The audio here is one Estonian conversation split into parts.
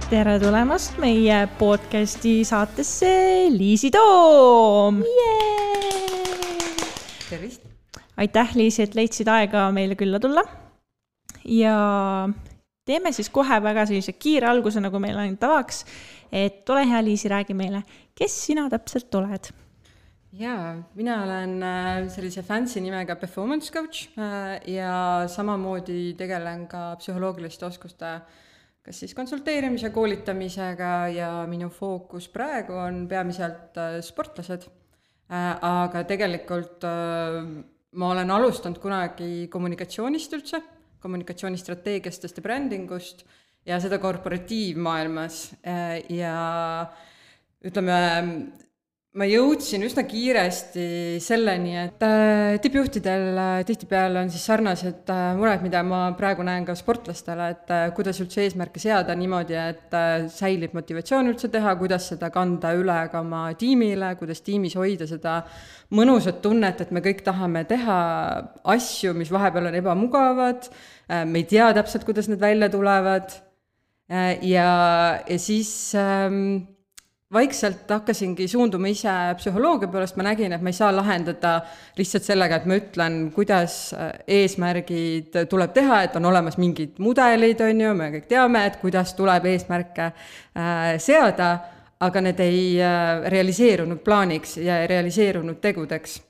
tere tulemast meie podcasti saatesse Liisi Toom! Tervist! Aitäh, Liisi, et leidsid aega meile külla tulla. Ja teeme siis kohe väga sellise kiire alguse, nagu meil on tavaks. Et ole hea, Liisi, räägi meile, kes sina täpselt oled? Jaa, mina olen sellise fancy nimega performance coach ja samamoodi tegelen ka psühholoogiliste oskuste kas siis konsulteerimise, koolitamisega ja minu fookus praegu on peamiselt sportlased. Aga tegelikult ma olen alustanud kunagi kommunikatsioonist üldse, kommunikatsioonistrateegiastest ja brändingust ja seda korporatiivmaailmas ja ütleme, ma jõudsin üsna kiiresti selleni, et tippjuhtidel tihtipeale on siis sarnased mured, mida ma praegu näen ka sportlastele, et kuidas üldse eesmärke seada niimoodi, et säilib motivatsioon üldse teha, kuidas seda kanda üle ka oma tiimile, kuidas tiimis hoida seda mõnusat tunnet, et me kõik tahame teha asju, mis vahepeal on ebamugavad, me ei tea täpselt, kuidas need välja tulevad ja siis vaikselt hakkasingi suunduma ise psühholoogia poolest, ma nägin, et ma ei saa lahendada lihtsalt sellega, et ma ütlen, kuidas eesmärgid tuleb teha, et on olemas mingid mudelid, on ju, me kõik teame, et kuidas tuleb eesmärke seada, aga need ei realiseerunud plaaniks ja ei realiseerunud tegudeks.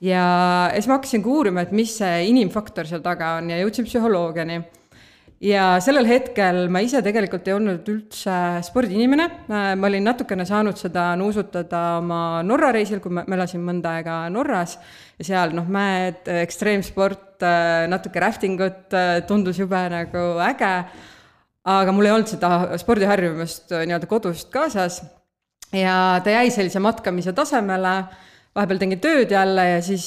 Ja siis ma hakkasin uurima, et mis see inimfaktor seal taga on ja jõudsin psühholoogiani. Ja sellel hetkel ma ise tegelikult ei olnud üldse spordiinimene. Ma olin natukene saanud seda nuusutada oma Norra reisil, kui ma elasin mõnda aega Norras. Ja seal mäed, ekstreemsport, natuke raftingut tundus jube nagu äge. Aga mul ei olnud seda spordiharjumust nii-öelda kodust kaasas. Ja ta jäi sellise matkamise tasemele. Vahepeal tegin tööd jälle ja siis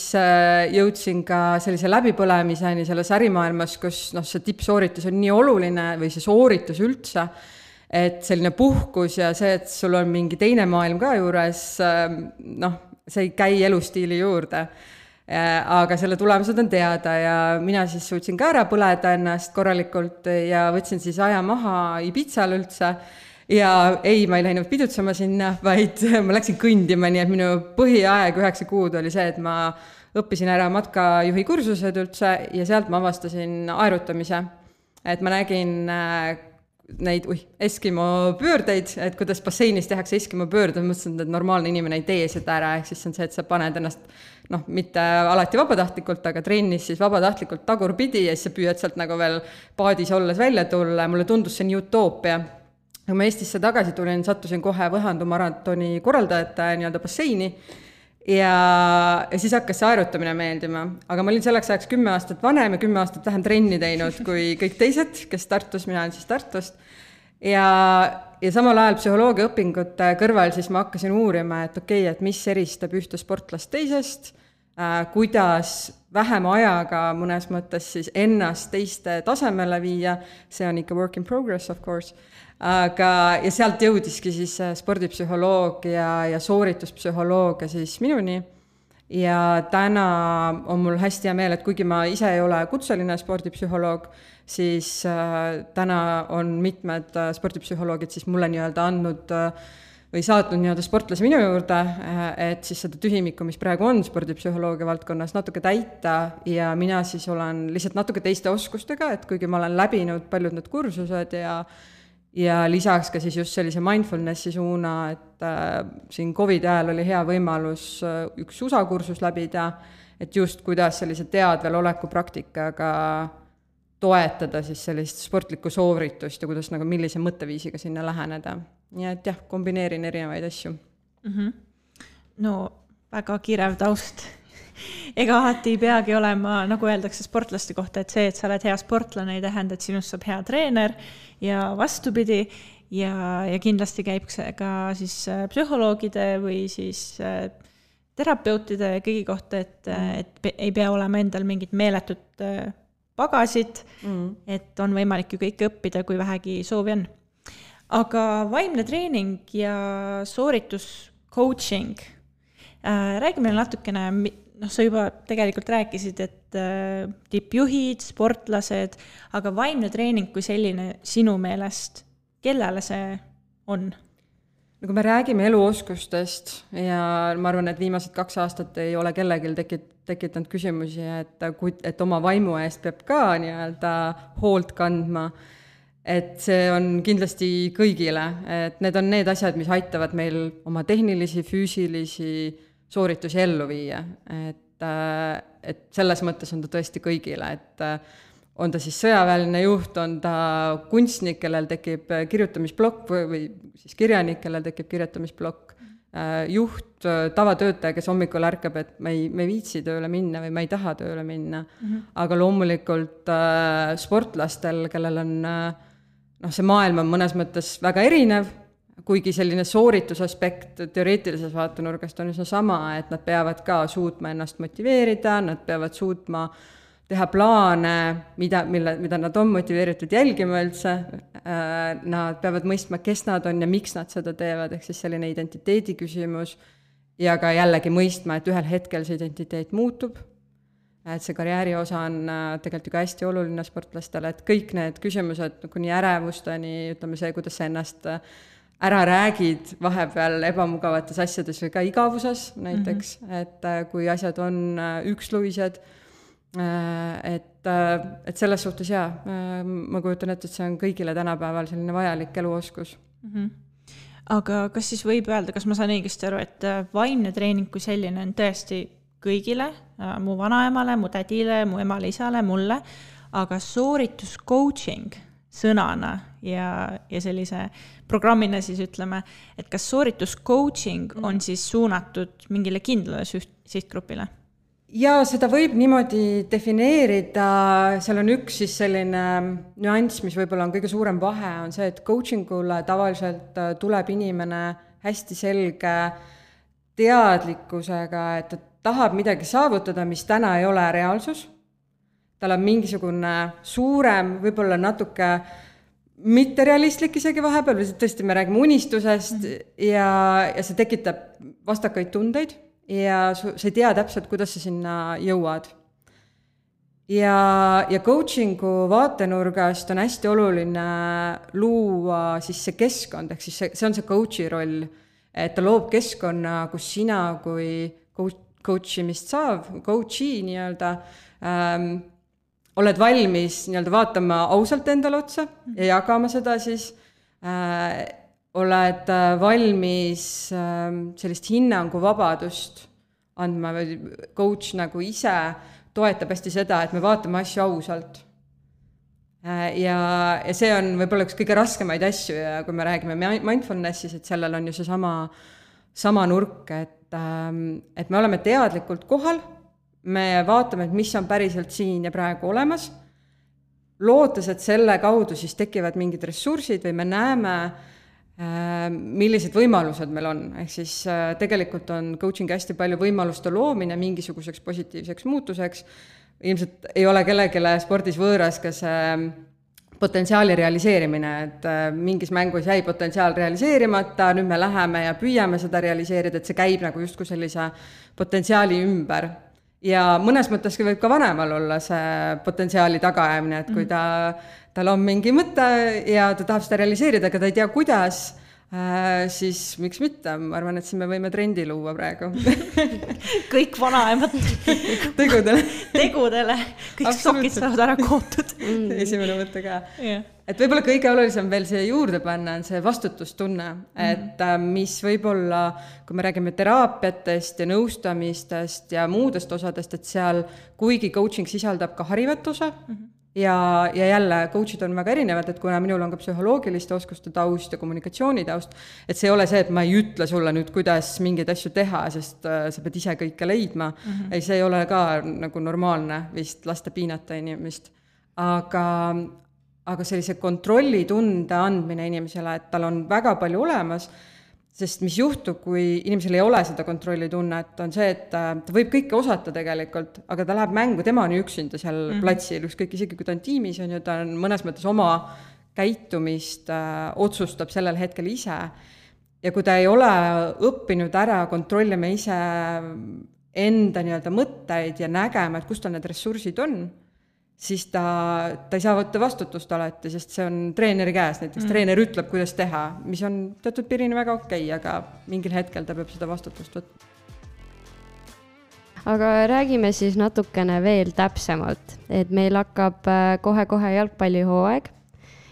jõudsin ka sellise läbipõlemiseni selles ärimaailmas, kus see tippsooritus on nii oluline või see sooritus üldse, et selline puhkus ja see, et sul on mingi teine maailm ka juures, see ei käi elustiili juurde. Aga selle tulemused on teada ja mina siis suutsin ka ära põleda ennast korralikult ja võtsin siis aja maha Ibizal üldse. Ja ei, ma ei läinud pidutsema sinna, vaid ma läksin kõndima, nii et minu põhiaeg 9 kuud oli see, et ma õppisin ära matkajuhi kursused üldse ja sealt ma avastasin aerutamise. Et ma nägin neid Eskimo pöördeid, et kuidas basseinis tehakse Eskimo pöörde, mõtlesin, et normaalne inimene ei tee seda ära, ehk siis on see, et sa paned ennast, mitte alati vabatahtlikult, aga trennis siis vabatahtlikult tagurpidi ja siis sa püüad sealt nagu veel paadis olles välja tulla ja mulle tundus see nii utoopia. Kui ma Eestisse tagasi tulin, sattusin kohe Võhandu maratoni korraldajate nii-öelda basseini ja siis hakkas see aerutamine meeldima. Aga ma olin selleks ajaks 10 aastat vanem ja 10 aastat vähem trenni teinud kui kõik teised, kes Tartus, mina olen siis Tartust. Ja samal ajal psühholoogia õpingute kõrval siis ma hakkasin uurima, et okei, et mis eristab ühte sportlast teisest, kuidas vähem ajaga mõnes mõttes siis ennast teiste tasemele viia, see on ikka work in progress, of course. Ja sealt jõudiski siis spordipsühholoogia ja soorituspsühholoogia siis minuni ja täna on mul hästi hea meel, et kuigi ma ise ei ole kutseline spordipsühholoog, siis täna on mitmed spordipsühholoogid siis mulle nii-öelda andnud või saatnud nii-öelda sportlase minu juurde, et siis seda tühimikku, mis praegu on spordipsühholoogia valdkonnas, natuke täita ja mina siis olen lihtsalt natuke teiste oskustega, et kuigi ma olen läbinud paljud need kursused ja lisaks ka siis just sellise mindfulnessi suuna, et siin COVID ajal oli hea võimalus üks USA kursus läbida, et just kuidas sellise teadvel oleku praktikaga toetada siis sellist sportlikku sooritust ja kuidas nagu millise mõtteviisiga sinna läheneda. Nii et jah, kombineerin erinevaid asju. No, väga kirev taust. Ega alati ei peagi olema, nagu öeldakse sportlaste kohta, et see, et sa oled hea sportlane, ei tähenda, et sinust saab hea treener ja vastupidi ja kindlasti käib see ka siis psühholoogide või siis terapeutide kõigi kohta, et ei pea olema endal mingit meeletut pagasid, et on võimalik ju kõik õppida, kui vähegi soovi on. Aga vaimne treening ja sooritus coaching, räägime natukene, sa juba tegelikult rääkisid, et tippjuhid, sportlased, aga vaimne treening kui selline sinu meelest, kellele see on? No kui me räägime eluoskustest ja ma arvan, et viimased 2 aastat ei ole kellelgi tekitanud küsimusi, et oma vaimu eest peab ka nii-öelda hoolt kandma, et see on kindlasti kõigile, et need on need asjad, mis aitavad meil oma tehnilisi, füüsilisi sooritusi ellu viia, et selles mõttes on ta tõesti kõigile, et on ta siis sõjaväeline juht, on ta kunstnik, kellel tekib kirjutamisplokk või siis kirjanik, kellel tekib kirjutamisplokk, juht, tavatöötaja, kes hommikul ärkab, et me ei viitsi tööle minna või me ei taha tööle minna. Aga loomulikult sportlastel, kellel on, see maailm on mõnes mõttes väga erinev, kuigi selline sooritusaspekt teoreetilises vaatenurgast on üsna sama, et nad peavad ka suutma ennast motiveerida, nad peavad suutma teha plaane, mida nad on motiveeritud jälgima üldse, nad peavad mõistma, kes nad on ja miks nad seda teevad, ehk siis selline identiteedi küsimus ja ka jällegi mõistma, et ühel hetkel see identiteet muutub, et see karjääri osa on tegelikult ju ka hästi oluline sportlastele, et kõik need küsimused kuni ärevusteni, ütleme see, kuidas sa ennast ära räägid vahepeal ebamugavates asjades või ka igavuses näiteks, et kui asjad on üksluised, et selles suhtes ma kujutan ette, et see on kõigile tänapäeval selline vajalik eluoskus. Aga kas siis võib öelda, kas ma saan õigesti aru, et vaimne treening kui selline on tõesti kõigile, mu vanaemale, mu tädile, mu emale, isale, mulle, aga soorituscoaching sõnana ja sellise programmina siis ütleme, et kas soorituscoaching on siis suunatud mingile kindlale sihtgrupile? Ja seda võib niimoodi defineerida, seal on üks siis selline nüanss, mis võib-olla on kõige suurem vahe, on see, et coachingule tavaliselt tuleb inimene hästi selge teadlikkusega, et ta tahab midagi saavutada, mis täna ei ole reaalsus. Tal on mingisugune suurem, võib-olla natuke mitterealistlik isegi vahepeal, või tõesti me räägime unistusest ja see tekitab vastakaid tundeid. Ja sa ei tea täpselt, kuidas sa sinna jõuad. Ja coachingu vaatenurgast on hästi oluline luua siis see keskkond, ehk siis see on see coachi roll, et ta loob keskkonna, kus sina kui coachimist saav, coachi nii-öelda, oled valmis nii-öelda vaatama ausalt endale otsa ja jagama seda siis oled valmis sellist hinnanguvabadust andma või coach nagu ise toetab hästi seda, et me vaatame asju ausalt. Ja see on võib-olla üks kõige raskemaid asju ja kui me räägime mindfulnessis, et sellel on ju see sama nurk, et me oleme teadlikult kohal, me vaatame, et mis on päriselt siin ja praegu olemas, lootes, et selle kaudu siis tekivad mingid ressursid või me näeme, millised võimalused meil on, ehk siis tegelikult on coaching hästi palju võimaluste loomine mingisuguseks positiivseks muutuseks, ilmselt ei ole kellelegi spordis võõras ka see potentsiaali realiseerimine, et mingis mängus jäi potentsiaal realiseerimata, nüüd me läheme ja püüame seda realiseerida, et see käib nagu justkui sellise potentsiaali ümber. Ja mõnes mõttes võib ka vanemal olla see potentsiaali tagaajamine, et kui tal on mingi mõte ja ta tahab seda realiseerida, aga ta ei tea, kuidas, siis miks mitte? Ma arvan, et siin me võime trendi luua praegu. Kõik vanaemad tegudele. Kõik sokid saavad ära kootud. Esimene mõte ka. Et võib-olla kõige olulisem veel see juurde panna on see vastutustunne, et mis võib-olla, kui me räägime teraapiatest ja nõustamistest ja muudest osadest, et seal kuigi coaching sisaldab ka harivat osa, ja jälle coachid on väga erinevad, et kuna minul on ka psühholoogiliste oskuste taust ja kommunikatsiooni taust, et see ei ole see, et ma ei ütle sulle nüüd, kuidas mingeid asju teha, sest sa pead ise kõike leidma. Ei, see ei ole ka nagu normaalne vist lasta piinata inimest. Aga sellise kontrollitunde andmine inimesele, et tal on väga palju olemas, sest mis juhtub, kui inimesel ei ole seda kontrollitunnet, on see, et ta võib kõike osata tegelikult, aga ta läheb mängu, tema on üksinda seal platsil, ükskõik isegi kui ta on tiimis, on ju, ta on mõnes mõttes oma käitumist otsustab sellel hetkel ise. Ja kui ta ei ole õppinud ära kontrollima ise enda nii-öelda mõtteid ja nägema, et kus tal need ressursid on, siis ta ei saa võtta vastutust alati, sest see on treeneri käes, näiteks treener ütleb, kuidas teha, mis on teatud piirini väga okei, aga mingil hetkel ta peab seda vastutust võtma. Aga räägime siis natukene veel täpsemalt, et meil hakkab kohe-kohe jalgpallihooaeg,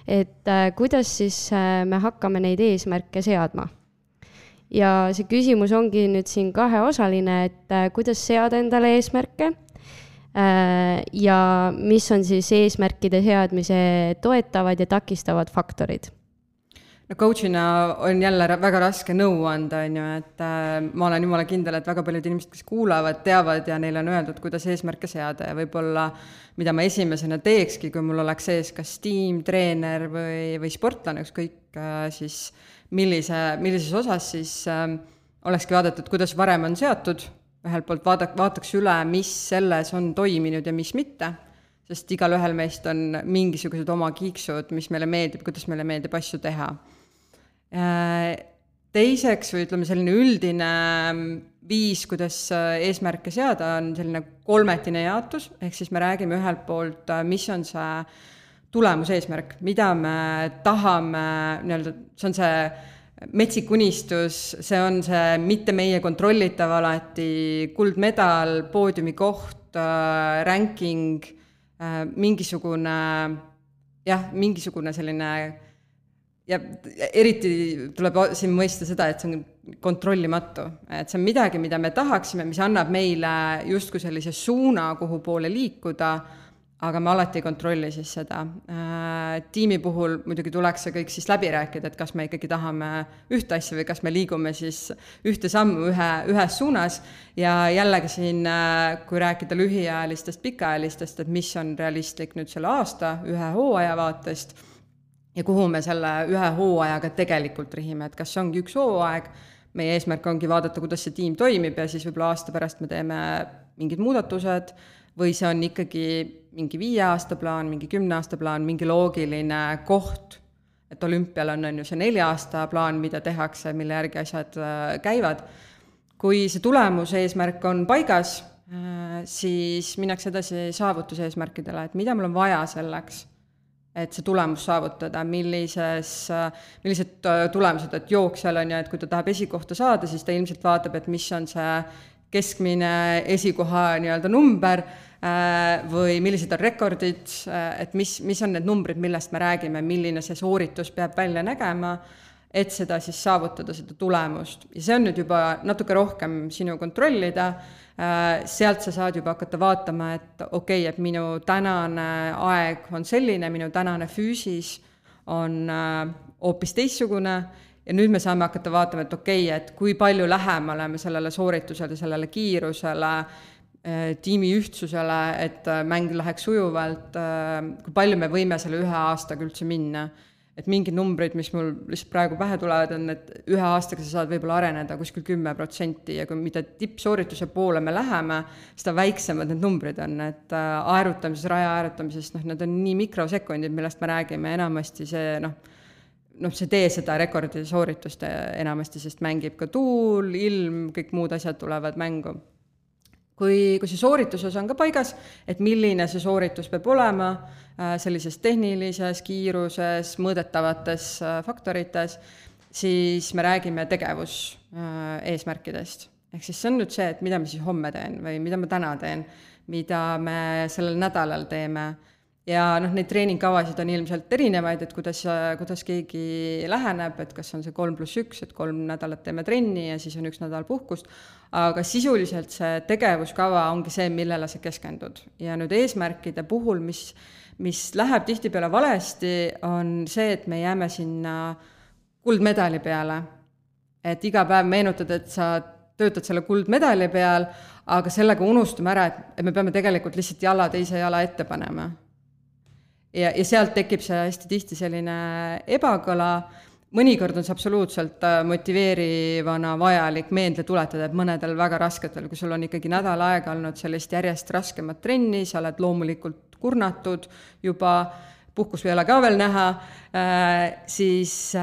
et kuidas siis me hakkame neid eesmärke seadma. Ja see küsimus ongi nüüd siin kaheosaline, et kuidas seada endale eesmärke ja mis on siis eesmärkide seadmise toetavad ja takistavad faktorid? No coachina on jälle väga raske nõu anda, on ju, et ma olen jumala kindel, et väga paljud inimesed, kes kuulavad, teavad ja neile on öeldud, kuidas eesmärke seada ja võib-olla, mida ma esimesena teekski, kui mul oleks ees kas tiim, treener või sportlane, ükskõik siis millises osas, siis olekski vaadatud, kuidas varem on seatud, ühelt poolt vaataks üle, mis selles on toiminud ja mis mitte, sest igal ühel meist on mingisugused oma kiiksud, mis meile meeldib, kuidas meile meeldib asju teha. Teiseks, või ütleme selline üldine viis, kuidas eesmärke seada, on selline kolmetine jaotus, ehk siis me räägime ühelt poolt, mis on see tulemuseesmärk, mida me tahame, see on see metsik unistus, see on see mitte meie kontrollitav alati kuldmedal, poodiumi koht, ranking, mingisugune selline, ja eriti tuleb siin mõista seda, et see on kontrollimatu, et see on midagi, mida me tahaksime, mis annab meile justkui sellise suuna, kuhu poole liikuda, aga me alati ei kontrolli siis seda. Tiimi puhul muidugi tuleks see kõik siis läbi rääkida, et kas me ikkagi tahame ühte asja või kas me liigume siis ühte sammu ühes suunas ja jällegi siin, kui rääkida lühiajalistest, pikaajalistest, et mis on realistlik nüüd selle aasta ühe hooaja vaatest ja kuhu me selle ühe hooajaga tegelikult rihime, et kas see ongi üks hooaeg, meie eesmärk ongi vaadata, kuidas see tiim toimib ja siis võib-olla aasta pärast me teeme mingid muudatused või see on ikkagi mingi 5 aasta plaan, mingi 10 aasta plaan, mingi loogiline koht, et olümpial on ju see 4 aasta plaan, mida tehakse, mille järgi asjad käivad. Kui see tulemuse eesmärk on paigas, siis minnakse edasi saavutuseesmärkidele, et mida mul on vaja selleks, et see tulemus saavutada, millised tulemused, et jooksjal on ju, et kui ta tahab esikohta saada, siis ta ilmselt vaatab, et mis on see keskmine esikoha number või millised on rekordid, et mis on need numbrid, millest me räägime, milline see sooritus peab välja nägema, et seda siis saavutada, seda tulemust. Ja see on nüüd juba natuke rohkem sinu kontrollida, sealt sa saad juba hakata vaatama, et okei, et minu tänane aeg on selline, minu tänane füüsis on hoopis teissugune, ja nüüd me saame hakata vaatama, et okei, et kui palju lähemale me sellele sooritusele, sellele kiirusele, tiimi ühtsusele, et mäng läheks sujuvalt, kui palju me võime selle 1 aastaga üldse minna. Et mingid numbrid, mis mul lihtsalt praegu pähe tulevad, on, et 1 aastaga sa saad võib-olla areneda kuskil 10% ja kui mida tippsoorituse poole me läheme, seda väiksemad need numbrid on, et aerutamises, raja aerutamises, need on nii mikrosekundid, millest me räägime, enamasti see, see tee seda rekordi sooritust enamasti, sest mängib ka tuul, ilm, kõik muud asjad tulevad mängu. Kui see soorituses on ka paigas, et milline see sooritus peab olema sellises tehnilises, kiiruses, mõõdetavates faktorites, siis me räägime tegevuseesmärkidest. Ehk siis see on nüüd see, et mida ma siis homme teen või mida ma täna teen, mida me sellel nädalal teeme. Ja neid treeningkavasid on ilmselt erinevaid, et kuidas keegi läheneb, et kas on see 3+1, et 3 nädalat teeme trenni ja siis on 1 nädal puhkust, aga sisuliselt see tegevuskava ongi see, millele sa keskendud. Ja nüüd eesmärkide puhul, mis läheb tihtipeale valesti, on see, et me jääme sinna kuldmedali peale. Et iga päev meenutad, et sa töötad selle kuldmedali peal, aga sellega unustame ära, et me peame tegelikult lihtsalt teise jala ette panema. Ja sealt tekib see hästi tihti selline ebakõla. Mõnikord on see absoluutselt motiveerivana vajalik meelde tuletada, et mõnedel väga rasketel, kui sul on ikkagi nädal aega olnud sellist järjest raskemat trenni, sa oled loomulikult kurnatud juba, puhkus ei ole ka veel näha, siis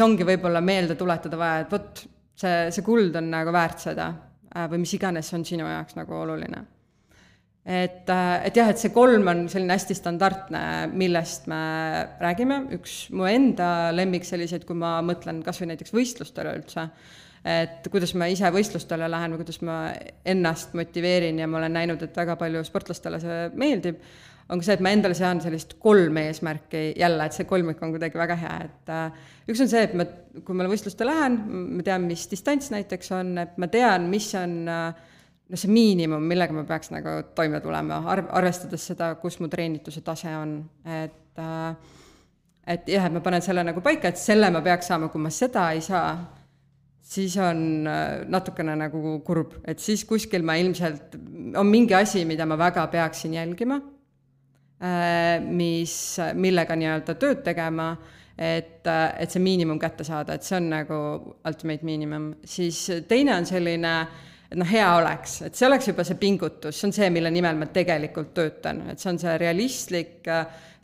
ongi võib-olla meelde tuletada vaja, et võt, see kuld on nagu väärt seda või mis iganes on sinu jaoks nagu oluline. et jah, et see 3 on selline hästi standardne, millest me räägime, üks mu enda lemmik selliseid, kui ma mõtlen kas või näiteks võistlustele üldse, et kuidas ma ise võistlustele lähen või kuidas ma ennast motiveerin ja ma olen näinud, et väga palju sportlastele see meeldib, on ka see, et ma endale sean sellist 3 eesmärki jälle, et see kolmik on kuidagi väga hea, et üks on see, et kui ma võistluste lähen, ma tean, mis distants näiteks on, et ma tean, mis on see miinimum, millega ma peaks nagu toime tulema, arvestades seda, kus mu treenituse tase on, et jah, et ma panen selle nagu paika, et selle ma peaks saama, kui ma seda ei saa, siis on natukene nagu kurb, et siis kuskil ma ilmselt, on mingi asi, mida ma väga peaksin jälgima, millega nii-öelda tööd tegema, et see miinimum kätte saada, et see on nagu ultimate minimum. Siis teine on selline, et hea oleks, et see oleks juba see pingutus, see on see, mille nimel ma tegelikult töötan, et see on see realistlik,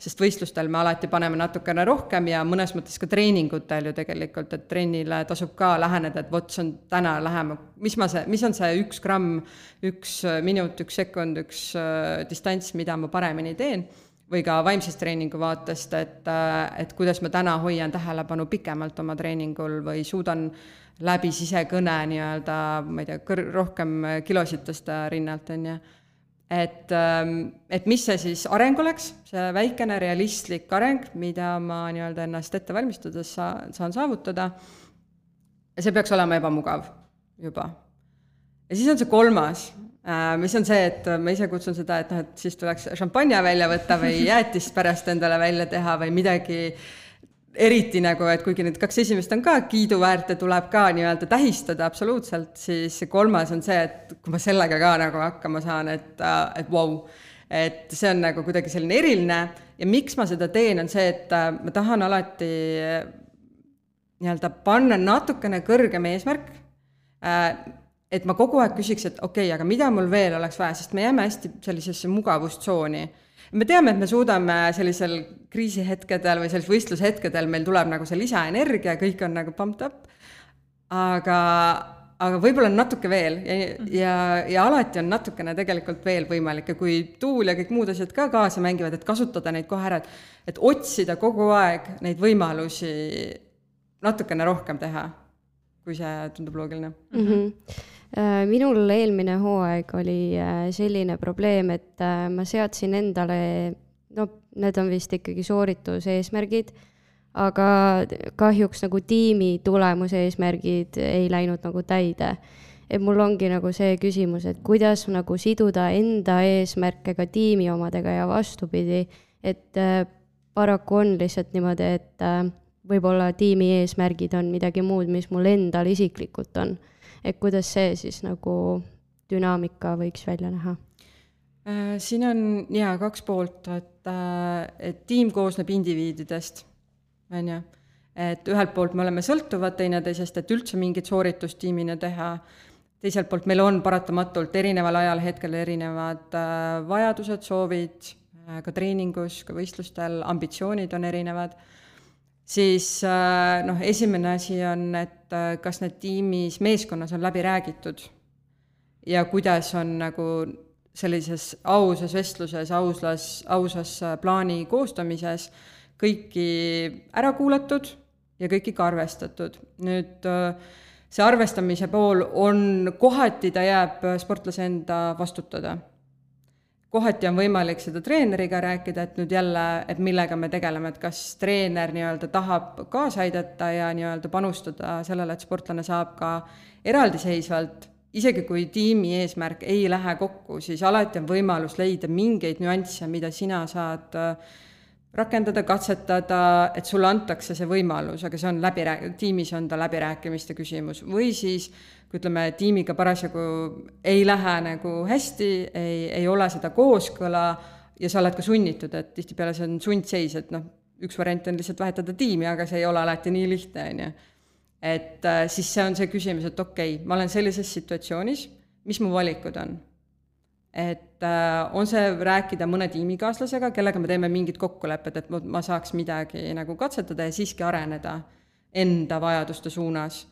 sest võistlustel me alati paneme natukene rohkem ja mõnes mõttes ka treeningutel ju tegelikult, et trennile tasub ka läheneda, et vot see on täna lähema, mis on see 1 gramm, 1 minut, 1 sekund, 1 distants, mida ma paremini teen, või ka vaimsest treeningu vaatest, et kuidas ma täna hoian tähelepanu pikemalt oma treeningul või suudan läbi sisekõne nii-öelda, ma ei tea, rohkem kilosid tõsta rinnalt, on ju. Et mis see siis areng oleks, see väikene realistlik areng, mida ma nii-öelda ennast ette valmistades saan saavutada, ja see peaks olema ebamugav juba. Ja siis on see 3, mis on see, et ma ise kutsun seda, et siis tuleks šampanja välja võtta või jäätist pärast endale välja teha või midagi eriti nagu, et kuigi need 2 esimest on ka kiiduväärt ja tuleb ka nii-öelda tähistada absoluutselt, siis 3 on see, et kui ma sellega ka nagu hakkama saan, et wow, et see on nagu kuidagi selline eriline ja miks ma seda teen, on see, et ma tahan alati nii-öelda panna natukene kõrgem eesmärk, et ma kogu aeg küsiks, et okei, aga mida mul veel oleks vaja, sest me jääme hästi sellisesse mugavustsooni. Me teame, et me suudame sellisel kriisihetkedel või sellisel võistlushetkedel, meil tuleb nagu see lisaenergia, kõik on nagu pumped up, aga võib-olla on natuke veel ja alati on natukene tegelikult veel võimalik ja kui tuul ja kõik muud asjad ka kaasa mängivad, et kasutada neid kohe ära, et otsida kogu aeg neid võimalusi natukene rohkem teha, kui see tundub loogiline. Minul eelmine hooaeg oli selline probleem, et ma seadsin endale, need on vist ikkagi soorituse eesmärgid, aga kahjuks nagu tiimi tulemuse eesmärgid ei läinud nagu täide. Et mul ongi nagu see küsimus, et kuidas nagu siduda enda eesmärke ka tiimi omadega ja vastupidi, et paraku on lihtsalt niimoodi, et võib-olla tiimi eesmärgid on midagi muud, mis mul endal isiklikult on. Et kuidas see siis nagu dünaamika võiks välja näha? Siin on 2 poolt, et tiim koosneb indiviididest, on ju. Et ühelt poolt me oleme sõltuvad teineteisest, et üldse mingit sooritustiimina teha. Teiselt poolt meil on paratamatult erineval ajal hetkel erinevad vajadused, soovid, ka treeningus, ka võistlustel, ambitsioonid on erinevad. Siis esimene asi on, et kas need tiimis, meeskonnas on läbi räägitud ja kuidas on nagu sellises ausas vestluses, ausas plaani koostamises kõiki ära kuulatud ja kõiki ka arvestatud. Nüüd see arvestamise pool on, kohati ta jääb sportlase enda vastutada. Kohati on võimalik seda treeneriga rääkida, et nüüd jälle, et millega me tegeleme, et kas treener nii-öelda tahab kaasa aidata ja nii-öelda panustada sellele, et sportlane saab ka eraldiseisvalt, isegi kui tiimi eesmärk ei lähe kokku, siis alati on võimalus leida mingeid nüansse, mida sina saad rakendada, katsetada, et sulle antakse see võimalus, aga see on tiimis on ta läbirääkimiste küsimus. Või siis, kui ütleme, tiimiga parasjagu ei lähe nagu hästi, ei ole seda kooskõla ja sa oled ka sunnitud, et tihtipeale see on sundseis, et üks variant on lihtsalt vahetada tiimi, aga see ei ole alati nii lihtne, on ju. Et siis see on see küsimus, et okei, ma olen sellises situatsioonis, mis mu valikud on? Et on see rääkida mõne tiimikaaslasega, kellega me teeme mingid kokkulepped, et ma saaks midagi nagu katsetada ja siiski areneda enda vajaduste suunas.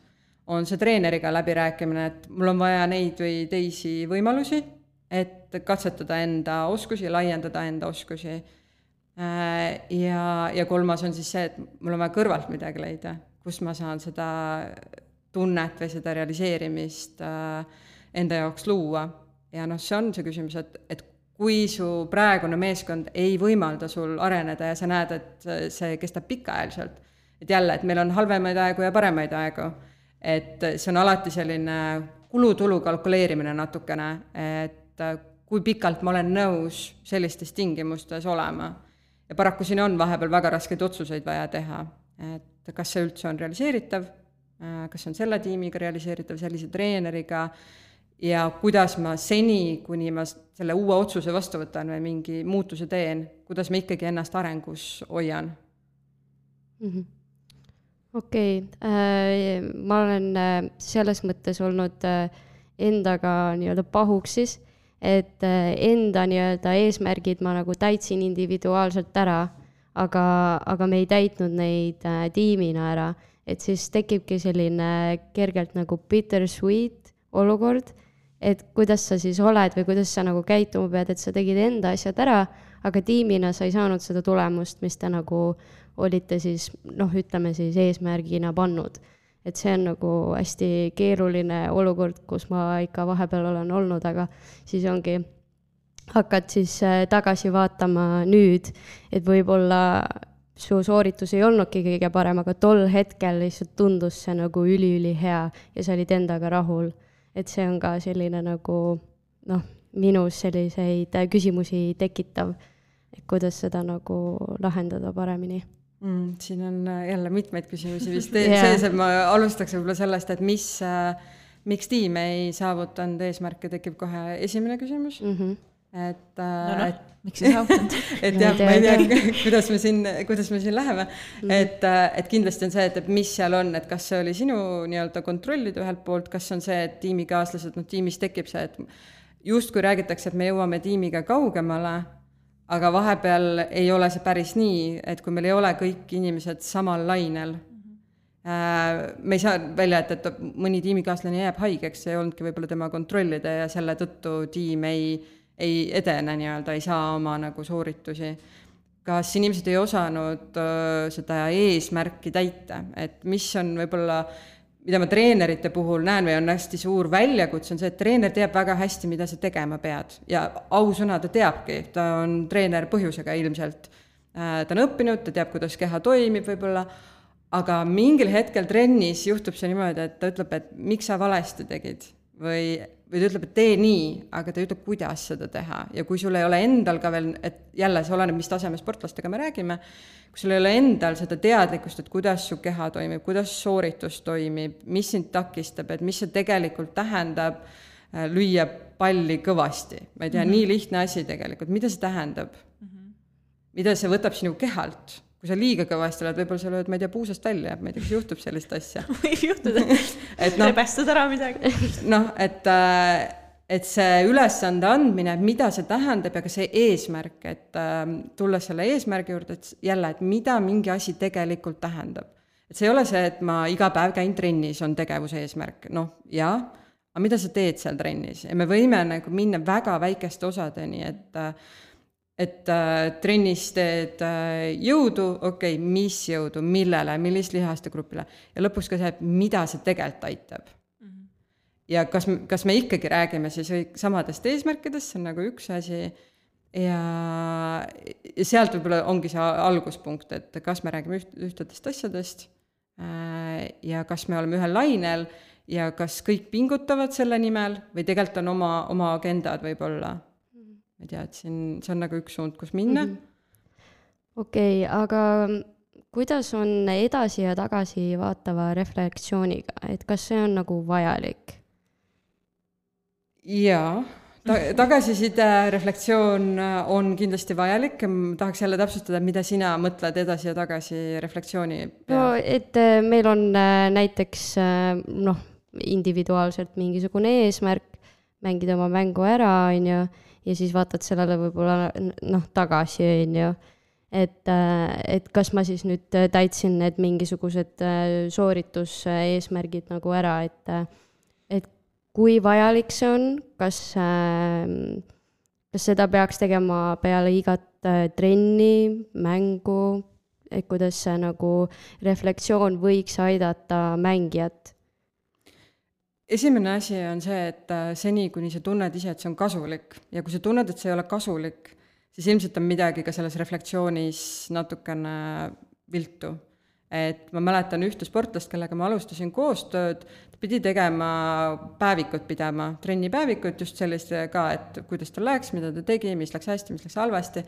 On see treeneriga läbirääkimine, et mul on vaja neid või teisi võimalusi et katsetada enda oskusi, laiendada enda oskusi. Ja kolmas on siis see, et mul on vaja kõrvalt midagi leida, kus ma saan seda tunnet või seda realiseerimist enda jaoks luua. Ja see on see küsimus, et kui su praegune meeskond ei võimalda sul areneda ja sa näed, et see kestab pikaajaliselt, et jälle, et meil on halvemaid aegu ja paremaid aegu, et see on alati selline kulutulu kalkuleerimine natukene, et kui pikalt ma olen nõus sellistes tingimustes olema. Ja paraku siin on vahepeal väga raskeid otsuseid vaja teha, et kas see üldse on realiseeritav, kas on selle tiimiga realiseeritav, sellise treeneriga, ja kuidas ma seni, kuni ma selle uue otsuse vastu võtan või mingi muutuse teen, kuidas ma ikkagi ennast arengus hoian. Okei, ma olen selles mõttes olnud endaga nii-öelda pahuksis, et enda nii-öelda eesmärgid ma nagu täitsin individuaalselt ära, aga me ei täitnud neid tiimina ära, et siis tekibki selline kergelt nagu bittersweet olukord, et kuidas sa siis oled või kuidas sa nagu käituma pead, et sa tegid enda asjad ära, aga tiimina sa ei saanud seda tulemust, mis te nagu olite siis, ütleme siis eesmärgina pannud. Et see on nagu hästi keeruline olukord, kus ma ikka vahepeal olen olnud, aga siis ongi, hakkad siis tagasi vaatama nüüd, et võib-olla su sooritus ei olnudki kõige parem, aga tol hetkel lihtsalt tundus see nagu üli hea ja sa olid endaga rahul. Et see on ka selline nagu, minus selliseid küsimusi tekitav, et kuidas seda nagu lahendada paremini. Siin on jälle mitmeid küsimusi vist sees, et ma alustaks võib-olla sellest, et miks tiim ei saavutanud eesmärke, tekib kohe esimene küsimus. Et miks ei saavutanud? Et jah, ma ei tea, kuidas me siin läheme. Et kindlasti on see, et mis seal on, et kas see oli sinu nii-öelda kontrollida ühelt poolt, kas on see, et tiimikaaslased, tiimis tekib see, et just kui räägitakse, et me jõuame tiimiga kaugemale, aga vahepeal ei ole see päris nii, et kui meil ei ole kõik inimesed samal lainel, me ei saa välja, et mõni tiimikaaslane jääb haigeks, see ei olnudki võib-olla tema kontrollida ja selle tõttu tiim ei edene nii-öelda, ei saa oma nagu sooritusi. Kas inimesed ei osanud seda eesmärki täita, et mis on võib-olla, mida ma treenerite puhul näen või on hästi suur väljakutse, on see, et treener teab väga hästi, mida sa tegema pead. Ja ausõna ta teabki, ta on treener põhjusega ilmselt. Ta on õppinud, ta teab, kuidas keha toimib võib-olla, aga mingil hetkel trennis juhtub see niimoodi, et ta ütleb, et miks sa valesti tegid või ta ütleb, et tee nii, aga ta ütleb, kuidas seda teha. Ja kui sul ei ole endal ka veel, et jälle see oleneb, mis taseme sportlastega me räägime, kui sul ei ole endal seda teadlikkust, et kuidas su keha toimib, kuidas sooritus toimib, mis sind takistab, et mis see tegelikult tähendab lüüa palli kõvasti. Ma ei tea, nii lihtne asi tegelikult. Mida see tähendab? Mida see võtab sinu kehalt? Kui sa liiga kõvasti oled, võib-olla sa lööd, ma ei tea, puusast välja, ma ei tea, kas juhtub sellist asja. Võib juhtuda, rebestad ära midagi. Et see ülesande andmine, mida see tähendab ja ka see eesmärk, et tulla selle eesmärgi juurde, et jälle, et mida mingi asi tegelikult tähendab. Et see ei ole see, et ma iga päev käin trennis, on tegevuse eesmärk. Jaa, aga mida sa teed seal trennis? Ja me võime nagu minna väga väikeste osadeni, et trennis teed jõudu, mis jõudu, millele, millist lihaste grupile ja lõpuks ka see, mida see tegelikult aitab. Ja kas me ikkagi räägime siis samadest eesmärkidest, see on nagu üks asi ja sealt võib-olla ongi see alguspunkt, et kas me räägime ühtedest asjadest ja kas me oleme ühel lainel ja kas kõik pingutavad selle nimel või tegelikult on oma agendad võib-olla. Ma ei tea, et see on nagu üks suund, kus minna. Okei, aga kuidas on edasi ja tagasi vaatava reflektsiooniga, et kas see on nagu vajalik? Jaa, tagasiside reflektsioon on kindlasti vajalik. Tahaks jälle täpsustada, mida sina mõtled edasi ja tagasi reflektsiooni peal? Et meil on näiteks individuaalselt mingisugune eesmärk, mängida oma mängu ära, ja siis vaatad sellele võib-olla tagasi, et kas ma siis nüüd täitsin need mingisugused soorituseesmärgid nagu ära, et kui vajalik see on, kas seda peaks tegema peale igat trenni, mängu, et kuidas see nagu reflektsioon võiks aidata mängijat? Esimene asi on see, et seni, kuni sa tunned ise, et see on kasulik ja kui sa tunned, et see ei ole kasulik, siis ilmselt on midagi ka selles reflektsioonis natukene viltu. Et ma mäletan ühte sportlast, kellega ma alustasin koostööd, ta pidi tegema päevikut pidama, trennipäevikut just sellist ka, et kuidas ta läks, mida ta tegi, mis läks hästi, mis läks halvasti.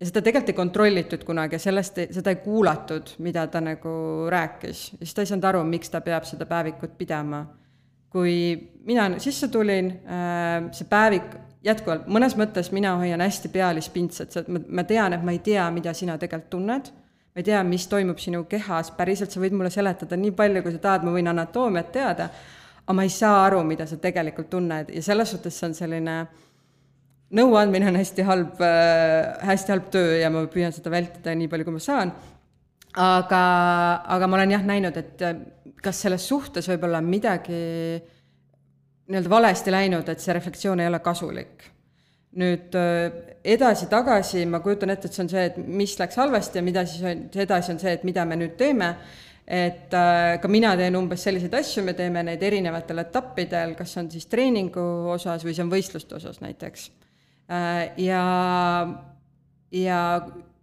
Ja seda tegelikult ei kontrollitud kunagi ja seda ei kuulatud, mida ta nagu rääkis. Ja siis ta ei saanud aru, miks ta peab seda päevikut pidama. Kui mina sisse tulin, see päevik jätkuvalt, mõnes mõttes mina hoian hästi pealispintset, ma tean, et ma ei tea, mida sina tegelikult tunned, ma ei tea, mis toimub sinu kehas, päriselt sa võid mulle seletada nii palju, kui sa tahad, ma võin anatoomiat teada, aga ma ei saa aru, mida sa tegelikult tunned ja selles suhtes see on selline nõuandmine on hästi halb töö ja ma püüan seda vältida nii palju, kui ma saan, aga ma olen jah näinud, et kas selles suhtes võib olla midagi nii-öelda valesti läinud, et see reflektsioon ei ole kasulik. Nüüd edasi-tagasi ma kujutan ette, et see on see, et mis läks halvasti ja mida siis edasi on see, et mida me nüüd teeme, et ka mina teen umbes selliseid asju, me teeme neid erinevatel etappidel, kas on siis treeningu osas või see on võistluste osas näiteks. Ja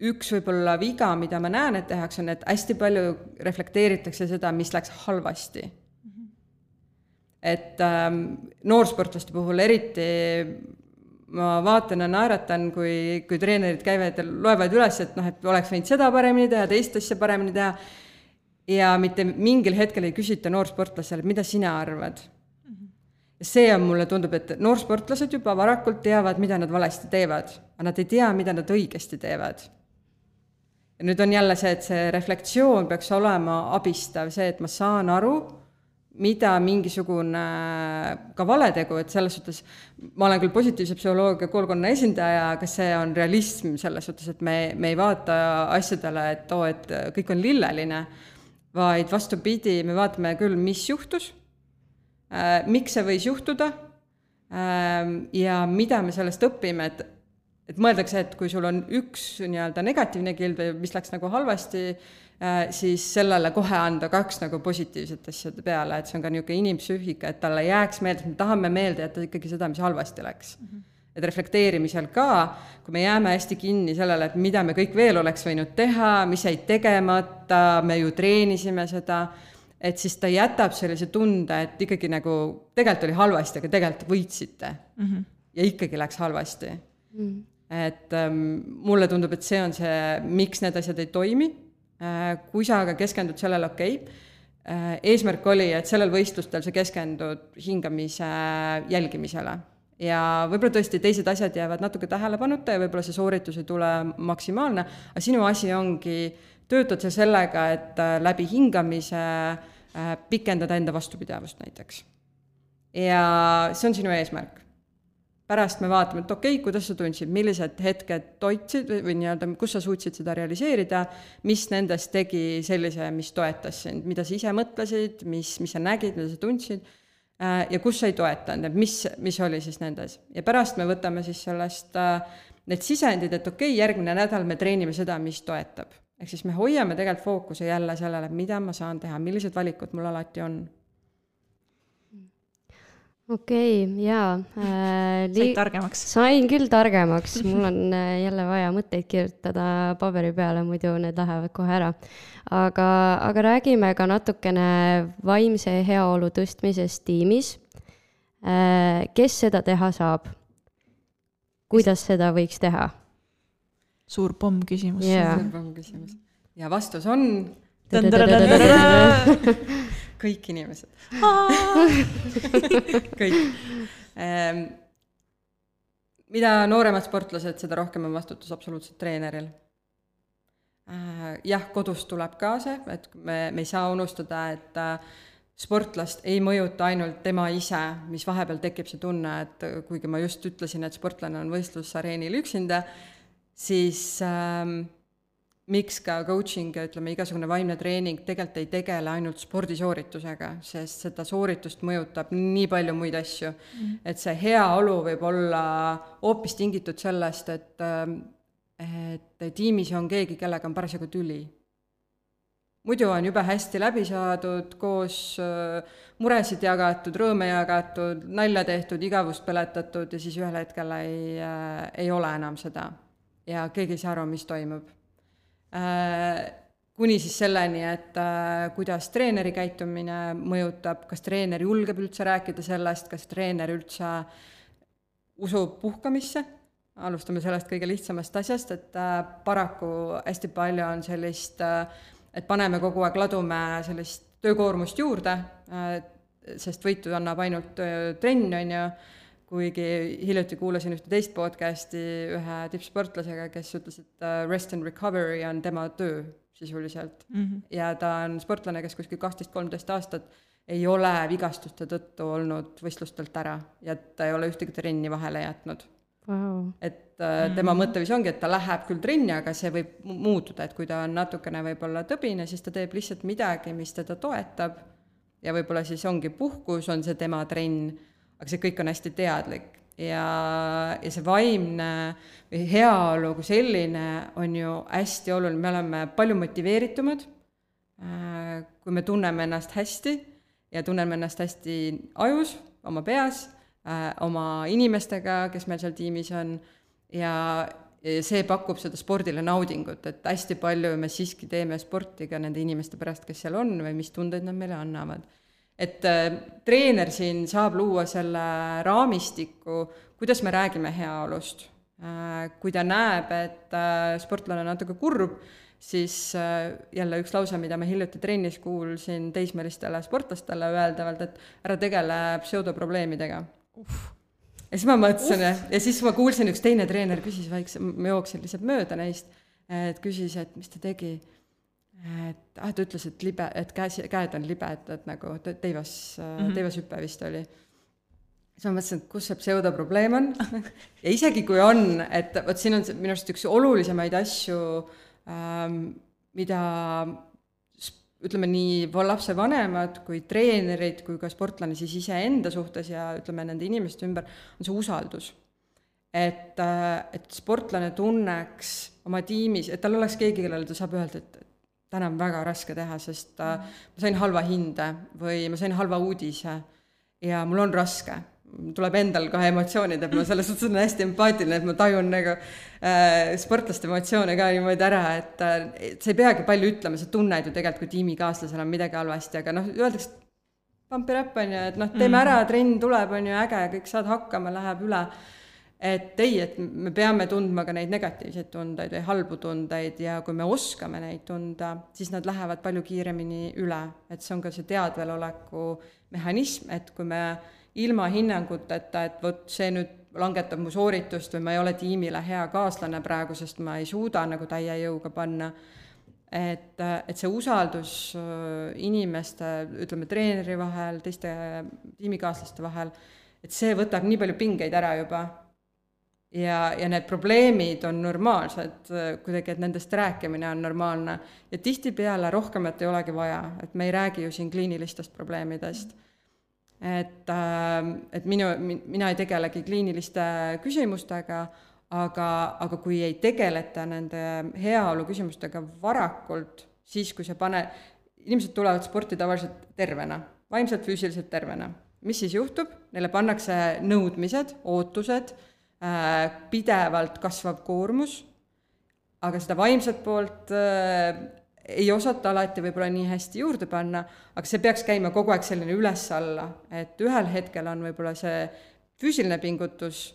üks võib-olla viga, mida ma näen, et tehakse, on, et hästi palju reflekteeritakse seda, mis läks halvasti. Et noorsportlaste puhul eriti ma vaatan ja naeratan, kui treenerid käivad ja loevad üles, et et oleks võinud seda paremini teha, teist asja paremini teha ja mitte mingil hetkel ei küsita noorsportlasele, mida sina arvad. Ja see on mulle tundub, et noorsportlased juba varakult teavad, mida nad valesti teevad, aga nad ei tea, mida nad õigesti teevad. Ja nüüd on jälle see, et see reflektsioon peaks olema abistav, see, et ma saan aru, mida mingisugune ka valetegu, et selles suhtes, ma olen küll positiivse psühholoogia koolkonna esindaja, aga see on realism selles suhtes, et me ei vaata asjadele, et kõik on lilleline, vaid vastupidi, me vaatame küll, mis juhtus, miks see võis juhtuda ja mida me sellest õpime, et mõeldakse, et kui sul on üks nii-öelda negatiivne kilb, mis läks nagu halvasti, siis sellele kohe anda 2 nagu positiivset asjade peale, et see on ka niisugune inimpsüühika, et talle jääks meelde, me tahame meelde jätta ikkagi seda, mis halvasti läks. Et reflekteerimisel ka, kui me jääme hästi kinni sellele, et mida me kõik veel oleks võinud teha, mis jäi tegemata, me ju treenisime seda, et siis ta jätab sellise tunde, et ikkagi nagu tegelikult oli halvasti, aga tegelikult võitsite. Ja ikkagi läks halvasti. Et mulle tundub, et see on see, miks need asjad ei toimi. Kui sa aga keskendud sellele, eesmärk oli, et sellel võistlustel sa keskendud hingamise jälgimisele ja võib-olla tõesti teised asjad jäävad natuke tähelepanuta ja võib-olla see sooritus ei tule maksimaalne, aga sinu asi ongi töötad sa sellega, et läbi hingamise pikendada enda vastupidavust näiteks. Ja see on sinu eesmärk. Pärast me vaatame, et kuidas sa tundsid, millised hetked toitsid või nii-öelda, kus sa suutsid seda realiseerida, mis nendest tegi sellise, mis toetas sind, mida sa ise mõtlesid, mis sa nägid, mida sa tundsid ja kus sa ei toetanud, et mis oli siis nendes. Ja pärast me võtame siis sellest need sisendid, et järgmine nädal me treenime seda, mis toetab. Ehk siis me hoiame tegelikult fookuse jälle sellele, mida ma saan teha, millised valikud mul alati on. Jaa. Said targemaks? Sain küll targemaks, mul on jälle vaja mõtteid kirjutada paberi peale, muidu need lähevad kohe ära. Aga räägime ka natukene vaimse heaolu tõstmisest tiimis. Kes seda teha saab? Kuidas seda võiks teha? Suur pomm küsimus. Suur pomm küsimus. Ja vastus on kõik inimesed. Kõik. Mida nooremad sportlased, seda rohkem on vastutus absoluutselt treeneril. Jah, kodus tuleb ka see, et me ei saa unustada, et sportlast ei mõjuta ainult tema ise, mis vahepeal tekib see tunne, et kuigi ma just ütlesin, et sportlane on võistlusareenil üksinda, siis miks ka coaching ja ütleme, igasugune vaimne treening tegelikult ei tegele ainult spordisooritusega, sest seda sooritust mõjutab nii palju muid asju. Et see heaolu võib olla hoopis tingitud sellest, et tiimis on keegi, kellega on parasjagu tüli. Muidu on jube hästi läbi saadud, koos muresid jagatud, rõõme jagatud, nalja tehtud, igavust peletatud ja siis ühel hetkel ei ole enam seda. Ja keegi ei saa aru, mis toimub. Kuni siis selleni, et kuidas treeneri käitumine mõjutab, kas treener julgeb üldse rääkida sellest, kas treener üldse usub puhkamisse. Alustame sellest kõige lihtsamast asjast, et paraku hästi palju on sellist, et paneme kogu aeg ladume sellist töökoormust juurde, sest võitu annab ainult trenn, on ju, kuigi hiljuti kuulasin ühte teist podcasti ühe tippsportlasega, kes ütles, et rest and recovery on tema töö sisuliselt. Ja ta on sportlane, kes kuskil 12-13 aastat ei ole vigastuste tõttu olnud võistlustelt ära ja ta ei ole ühtegi trenni vahele jätnud. Wow. Et tema mõttevis ongi, et ta läheb küll trenni, aga see võib muutuda, et kui ta on natukene võib-olla tõbine, siis ta teeb lihtsalt midagi, mis teda toetab ja võib-olla siis ongi puhkus, on see tema trenn, aga see kõik on hästi teadlik ja see vaimne või heaolu kui selline on ju hästi oluline, me oleme palju motiveeritumad, kui me tunneme ennast hästi ja tunneme ennast hästi ajus, oma peas, oma inimestega, kes meil seal tiimis on ja see pakub seda spordile naudingut, et hästi palju me siiski teeme sporti ka nende inimeste pärast, kes seal on või mis tundeid nad meile annavad. Et treener siin saab luua selle raamistiku, kuidas me räägime heaolust. Kui ta näeb, et sportlane on natuke kurb, siis jälle üks lause, mida me hiljuti trennis kuulsin teismelistele sportlastele öeldavalt, et ära tegele pseudoprobleemidega. Ja siis ma mõtlesin ja siis ma kuulsin, üks teine treener küsis vaikse, ma jooksin lihtsalt mööda neist, et küsis, et mis ta tegi, et ta ütles, et käed on libed, et nagu teivashüppe vist oli. Siis ma mõtlesin, et kus see pseudoprobleem on ja isegi kui on, et võt siin on minu arust üks olulisemaid asju, mida ütleme nii lapse vanemad kui treenerid kui ka sportlane siis ise enda suhtes ja ütleme nende inimeste ümber on see usaldus. Et sportlane tunneks oma tiimis, et tal oleks keegi, kellele ta saab öelda, et täna on väga raske teha, sest ma sain halva hinde või ma sain halva uudise ja mul on raske. Tuleb endal ka emotsioonid, et ma selles suhtes on hästi empaatiline, et ma tajun nagu sportlaste emotsioone ka niimoodi ära, et sa ei peagi palju ütlema, sa tunned ju tegelikult, kui tiimikaaslasel on midagi halvasti, aga öeldakse, pump it up, on ju, et teeme ära, trenn tuleb, on ju äge, kõik saad hakkama, läheb üle. Et me peame tundma ka neid negatiivseid tundeid või halbu tundeid ja kui me oskame neid tunda, siis nad lähevad palju kiiremini üle. Et see on ka see teadveloleku mehhanism, et kui me ilma hinnanguteta, et võt see nüüd langetab mu sooritust või ma ei ole tiimile hea kaaslane praegu, sest ma ei suuda nagu täie jõuga panna. Et see usaldus inimeste, ütleme treeneri vahel, teiste tiimikaaslaste vahel, et see võtab nii palju pingeid ära juba. Ja need probleemid on normaalsed, kuidagi, et nendest rääkimine on normaalne. Ja tihtipeale rohkemat ei olegi vaja, et me ei räägi ju siin kliinilistest probleemidest. Et mina ei tegelegi kliiniliste küsimustega, aga kui ei tegeleta nende heaolu küsimustega varakult, siis kui inimesed tulevad sporti tavaliselt tervena, vaimselt, füüsiliselt tervena. Mis siis juhtub? Neile pannakse nõudmised, ootused, pidevalt kasvav koormus, aga seda vaimset poolt ei osata alati võib-olla nii hästi juurde panna, aga see peaks käima kogu aeg selline üles-alla, et ühel hetkel on võib-olla see füüsiline pingutus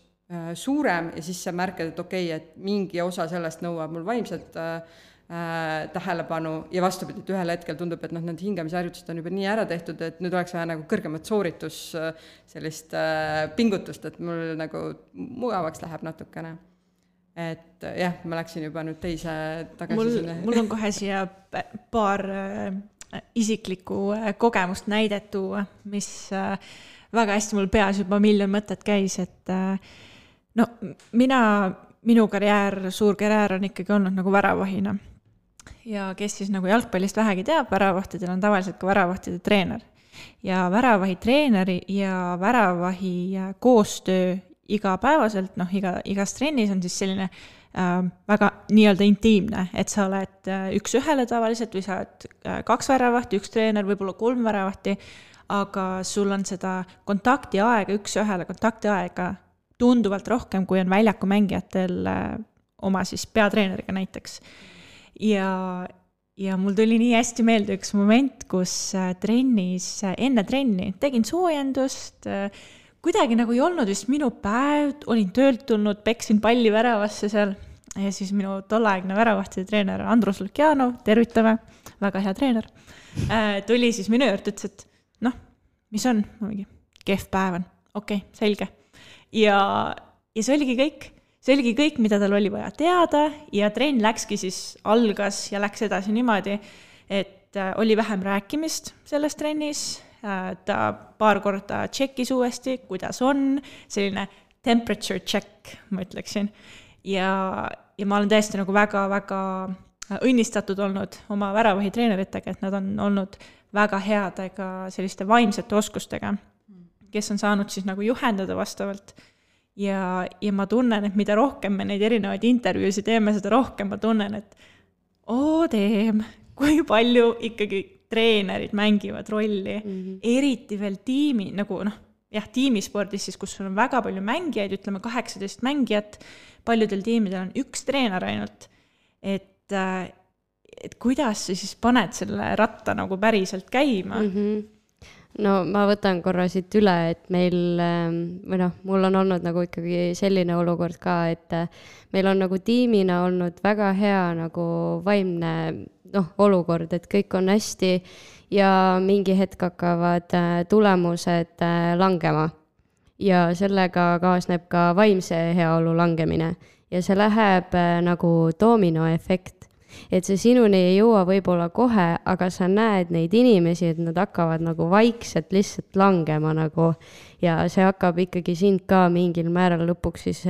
suurem ja siis sa märkad, et okei, et mingi osa sellest nõuab mul vaimset tähelepanu ja vastupidi, et ühel hetkel tundub, et need hingamisharjutused on juba nii ära tehtud, et nüüd oleks vaja nagu kõrgemat sooritus sellist pingutust, et mul nagu mugavaks läheb natukene. Et jah, ma läksin juba nüüd teise tagasi sinna. Mul on kohe siia paar isiklikku kogemust näidet tuua, mis väga hästi mul peas juba miljon mõtet käis, et minu karjäär, suur karjäär on ikkagi olnud nagu väravahina. ja kes siis nagu jalgpallist vähegi teab, väravahtidel on tavaliselt ka väravahtide treener. Ja väravahi treeneri ja väravahi koostöö igapäevaselt, igas trennis on siis selline väga nii-öelda intiimne, et sa oled üks ühele tavaliselt või sa oled 2 väravahti, 1 treener, võib-olla 3 väravahti, aga sul on seda kontaktiaega, üks ühele kontaktiaega tunduvalt rohkem, kui on väljaku mängijatel oma siis peatreeneriga näiteks. Ja mul tuli nii hästi meelde üks moment, kus trennis, enne trenni tegin soojendust, kuidagi nagu ei olnud vist minu päev, olin töölt tulnud, peksin palli väravasse seal ja siis minu tolleaegne väravahtide treener Andrus Lukjanov, tervitame, väga hea treener, tuli siis minu juurde, ütles, et mis on? Mingi kehv päev on, okei, selge. Ja see oligi kõik. See oligi kõik, mida tal oli vaja teada ja trenn läkski siis, algas ja läks edasi niimoodi, et oli vähem rääkimist selles trennis, ta paar korda tšekkis uuesti, kuidas on, selline temperature check, ma ütleksin. Ja ma olen täiesti nagu väga-väga õnnistatud olnud oma väravahi treeneritega, et nad on olnud väga headega selliste vaimsete oskustega, kes on saanud siis nagu juhendada vastavalt. Ja ma tunnen, et mida rohkem me neid erinevaid intervjuusid teeme, seda rohkem ma tunnen, et kui palju ikkagi treenerid mängivad rolli, eriti veel tiimi, nagu tiimispordis siis, kus sul on väga palju mängijaid, ütleme 18 mängijat, paljudel tiimidel on 1 treener ainult, et kuidas sa siis paned selle ratta nagu päriselt käima? No ma võtan korra siit üle, et mul on olnud nagu ikkagi selline olukord ka, et meil on nagu tiimina olnud väga hea nagu vaimne olukord, et kõik on hästi ja mingi hetk hakkavad tulemused langema. Ja sellega kaasneb ka vaimse heaolu langemine ja see läheb nagu dominoefekt. Et see sinuni ei jõua võib-olla kohe, aga sa näed neid inimesi, et nad hakkavad nagu vaikselt lihtsalt langema nagu ja see hakkab ikkagi sind ka mingil määral lõpuks siis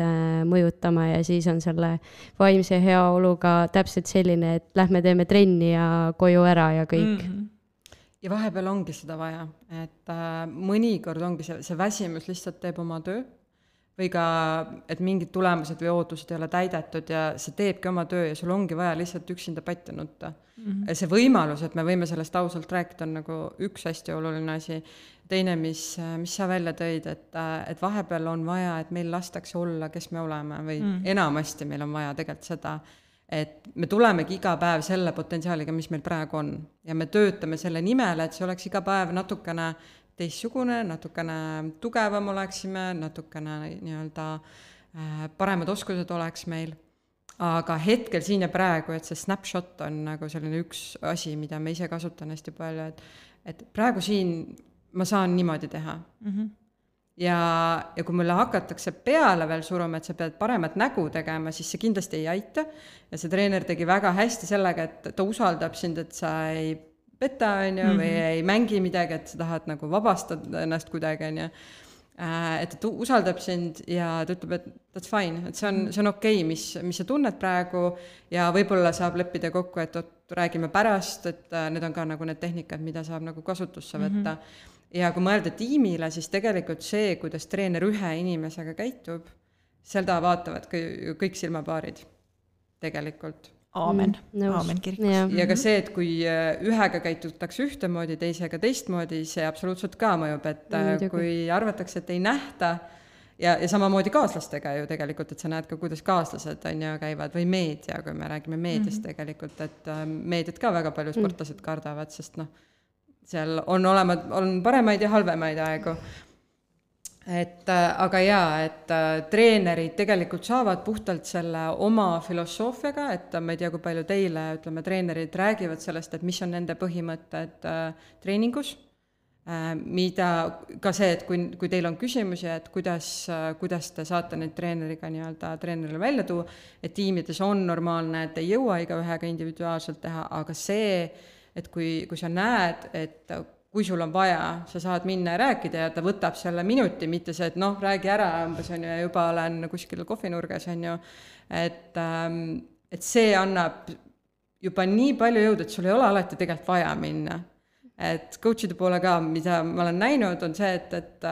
mõjutama ja siis on selle vaimse heaoluga täpselt selline, et lähme teeme trenni ja koju ära ja kõik. Ja vahepeal ongi seda vaja, et mõnikord ongi see väsimus lihtsalt teeb oma töö või ka, et mingid tulemused või ootused ei ole täidetud ja see teebki oma töö ja sul ongi vaja lihtsalt üksinda patti nutta. See võimalus, et me võime sellest ausalt rääkida, on nagu üks hästi oluline asi. Teine, mis sa välja tõid, et vahepeal on vaja, et meil lastakse olla, kes me oleme või enamasti meil on vaja tegelikult seda, et me tulemegi iga päev selle potentsiaaliga, mis meil praegu on ja me töötame selle nimel, et see oleks iga päev natukene teistsugune, natukene tugevam oleksime, natukene nii-öelda paremad oskused oleks meil. Aga hetkel siin ja praegu, et see snapshot on nagu selline üks asi, mida me ise kasutan hästi palju, et praegu siin ma saan niimoodi teha. Ja kui mulle hakatakse peale veel suruma, et sa pead paremat nägu tegema, siis see kindlasti ei aita. Ja see treener tegi väga hästi sellega, et ta usaldab sind, et sa ei petta, või ei mängi midagi, et sa tahad nagu vabastada ennast kuidagi, et ta usaldab sind ja ta ütleb, et that's fine, et see on okei, mis sa tunned praegu ja võib-olla saab leppida kokku, et räägime pärast, et need on ka nagu need tehnikad, mida saab nagu kasutusse võtta. Ja kui mõelda tiimile, siis tegelikult see, kuidas treener ühe inimesega käitub, seda vaatavad kõik silmapaarid tegelikult. Aamen kirikus. Ja ka see, et kui ühega käitutakse ühtemoodi, teisega teistmoodi, see absoluutselt ka mõjub, et kui arvatakse, et ei nähta ja samamoodi kaaslastega ju tegelikult, et sa näed ka, kuidas kaaslased käivad või meedia, kui me räägime meediast tegelikult, et meediat ka väga palju sportlased kardavad, sest seal on paremaid ja halvemaid aegu. Aga et treenerid tegelikult saavad puhtalt selle oma filosoofiaga, et ma ei tea, kui palju teile, ütleme, treenerid räägivad sellest, et mis on nende põhimõtted treeningus, mida ka see, et kui teil on küsimusi, et kuidas te saate neid treeneriga nii-öelda treenerile välja tuua, et tiimides on normaalne, et ei jõua igaühega individuaalselt teha, aga see, et kui sa näed, et kui sul on vaja, sa saad minna ja rääkida ja ta võtab selle minuti, mitte see, et räägi ära, umbes on ju, ja juba olen kuskil kohvinurgas, on ju, et see annab juba nii palju jõudu, et sul ei ole alati tegelikult vaja minna. Et coachide poole ka, mida ma olen näinud, on see, et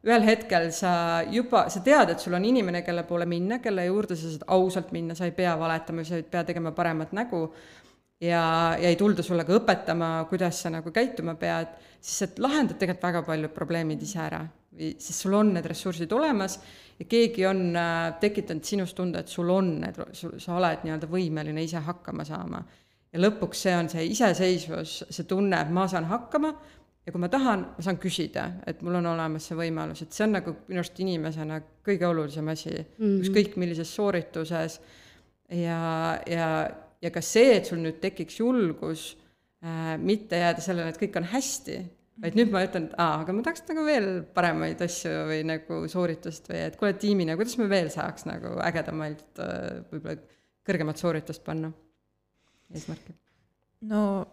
ühel hetkel sa tead, et sul on inimene, kelle poole minna, kelle juurde sa saad ausalt minna, sa ei pea valetama, sa ei pea tegema paremat nägu ja ei tulda sulle ka õpetama, kuidas sa nagu käituma pead, siis et lahendad tegelikult väga paljud probleemid ise ära, sest sul on need ressursid olemas ja keegi on tekitanud sinust tunde, et sul on need, sa oled nii-öelda võimeline ise hakkama saama. Ja lõpuks see on see iseseisvus, see tunne, et ma saan hakkama ja kui ma tahan, ma saan küsida, et mul on olemas see võimalus, et see on nagu minu arust inimesena kõige olulisem asi, ükskõik millises soorituses ja ka see, et sul nüüd tekiks julgus mitte jääda sellele, et kõik on hästi, vaid nüüd ma ütlen, et aga ma tahaks nagu veel paremaid asju või nagu sooritust või et kuule tiimina, kuidas me veel saaks nagu ägedamalt võib-olla kõrgemat sooritust panna eesmärki? No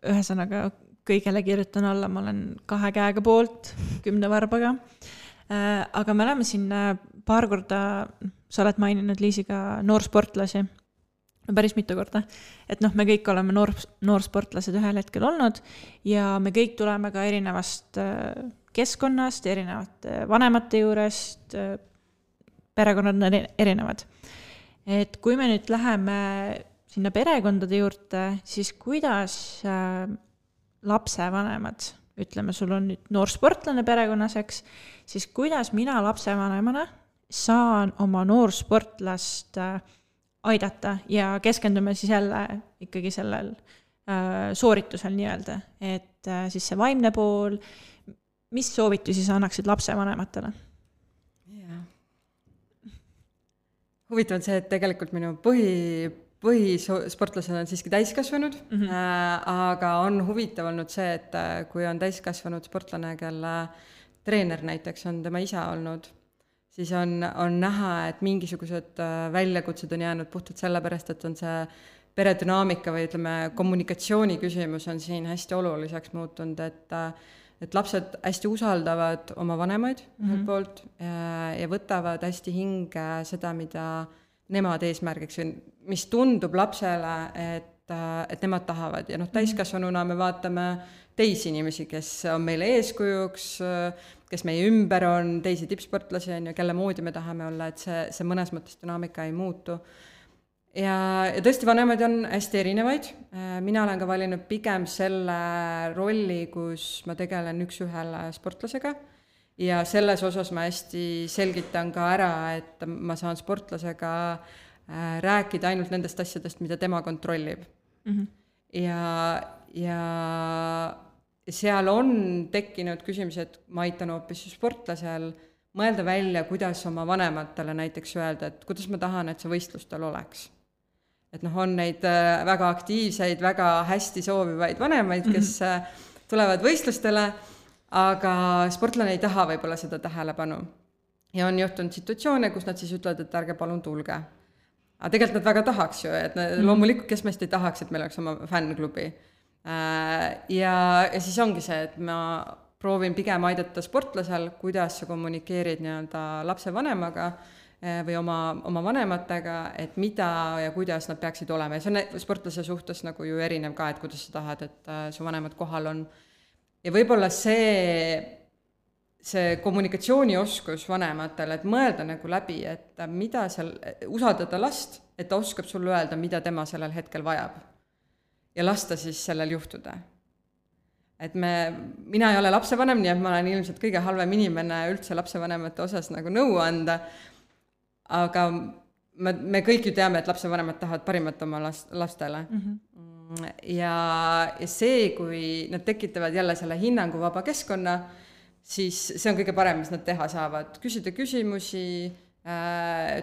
ühesõnaga kõigele kirjutan alla, ma olen 2 käega poolt 10 varbaga, aga me oleme siin paar korda, sa oled maininud Liisiga noorsportlasi, päris mitu korda, et me kõik oleme noorsportlased ühel hetkel olnud ja me kõik tuleme ka erinevast keskkonnast, erinevate vanemate juurest, perekonnad on erinevad. Et kui me nüüd läheme sinna perekondade juurde, siis kuidas lapsevanemad, ütleme, sul on nüüd noorsportlane perekonnas, eks, siis kuidas mina lapsevanemana saan oma noorsportlast aidata ja keskendume siis jälle ikkagi sellel sooritusel nii-öelda, et siis see vaimne pool, mis soovitusi sa annaksid lapsevanematele? Huvitav on see, et tegelikult minu põhisportlased on siiski täiskasvanud, aga on huvitav olnud see, et kui on täiskasvanud sportlane, kelle treener näiteks on tema isa olnud, siis on näha, et mingisugused väljakutsed on jäänud puhtalt sellepärast, et on see peredünaamika või ütleme, kommunikatsiooni küsimus on siin hästi oluliseks muutunud, et lapsed hästi usaldavad oma vanemaid ühelt poolt ja võtavad hästi hinge seda, mida nemad eesmärgiks, mis tundub lapsele, et nemad tahavad. Ja täiskasvanuna me vaatame teisi inimesi, kes on meile eeskujuks, kes meie ümber on, teisi tippsportlasi on ja kelle moodi me tahame olla, et see mõnes mõttes dünaamika ei muutu. Ja tõesti vanemad on hästi erinevaid. Mina olen ka valinud pigem selle rolli, kus ma tegelen üks-ühele sportlasega ja selles osas ma hästi selgitan ka ära, et ma saan sportlasega rääkida ainult nendest asjadest, mida tema kontrollib. Ja seal on tekkinud küsimus, et ma aitan hoopis sportlasel mõelda välja, kuidas oma vanematele näiteks öelda, et kuidas ma tahan, et see võistlustel oleks. Et on neid väga aktiivseid, väga hästi soovivaid vanemaid, kes tulevad võistlustele, aga sportlane ei taha võib-olla seda tähelepanu. Ja on juhtunud situatsioone, kus nad siis ütlevad, et ärge palun tulge. Aga tegelikult nad väga tahaks ju, et loomulikult kes meist ei tahaks, et meil oleks oma fännklubi. Ja siis ongi see, et ma proovin pigem aidata sportlasel, kuidas sa kommunikeerid nii-öelda lapse vanemaga või oma vanematega, et mida ja kuidas nad peaksid olema. Ja see on sportlase suhtes nagu ju erinev ka, et kuidas sa tahad, et su vanemad kohal on. Ja võib-olla see kommunikatsioonioskus vanematele, et mõelda nagu läbi, et mida seal, usaldada last, et ta oskab sulle öelda, mida tema sellel hetkel vajab. Ja lasta siis sellel juhtuda. Et mina ei ole lapsevanem, nii et ma olen ilmselt kõige halvem inimene üldse lapsevanemate osas nagu nõu anda, aga me kõik ju teame, et lapsevanemad tahavad parimat oma lastele. Ja see, kui nad tekitavad jälle selle hinnangu vaba keskkonna, siis see on kõige parem, mis nad teha saavad. Küsida küsimusi,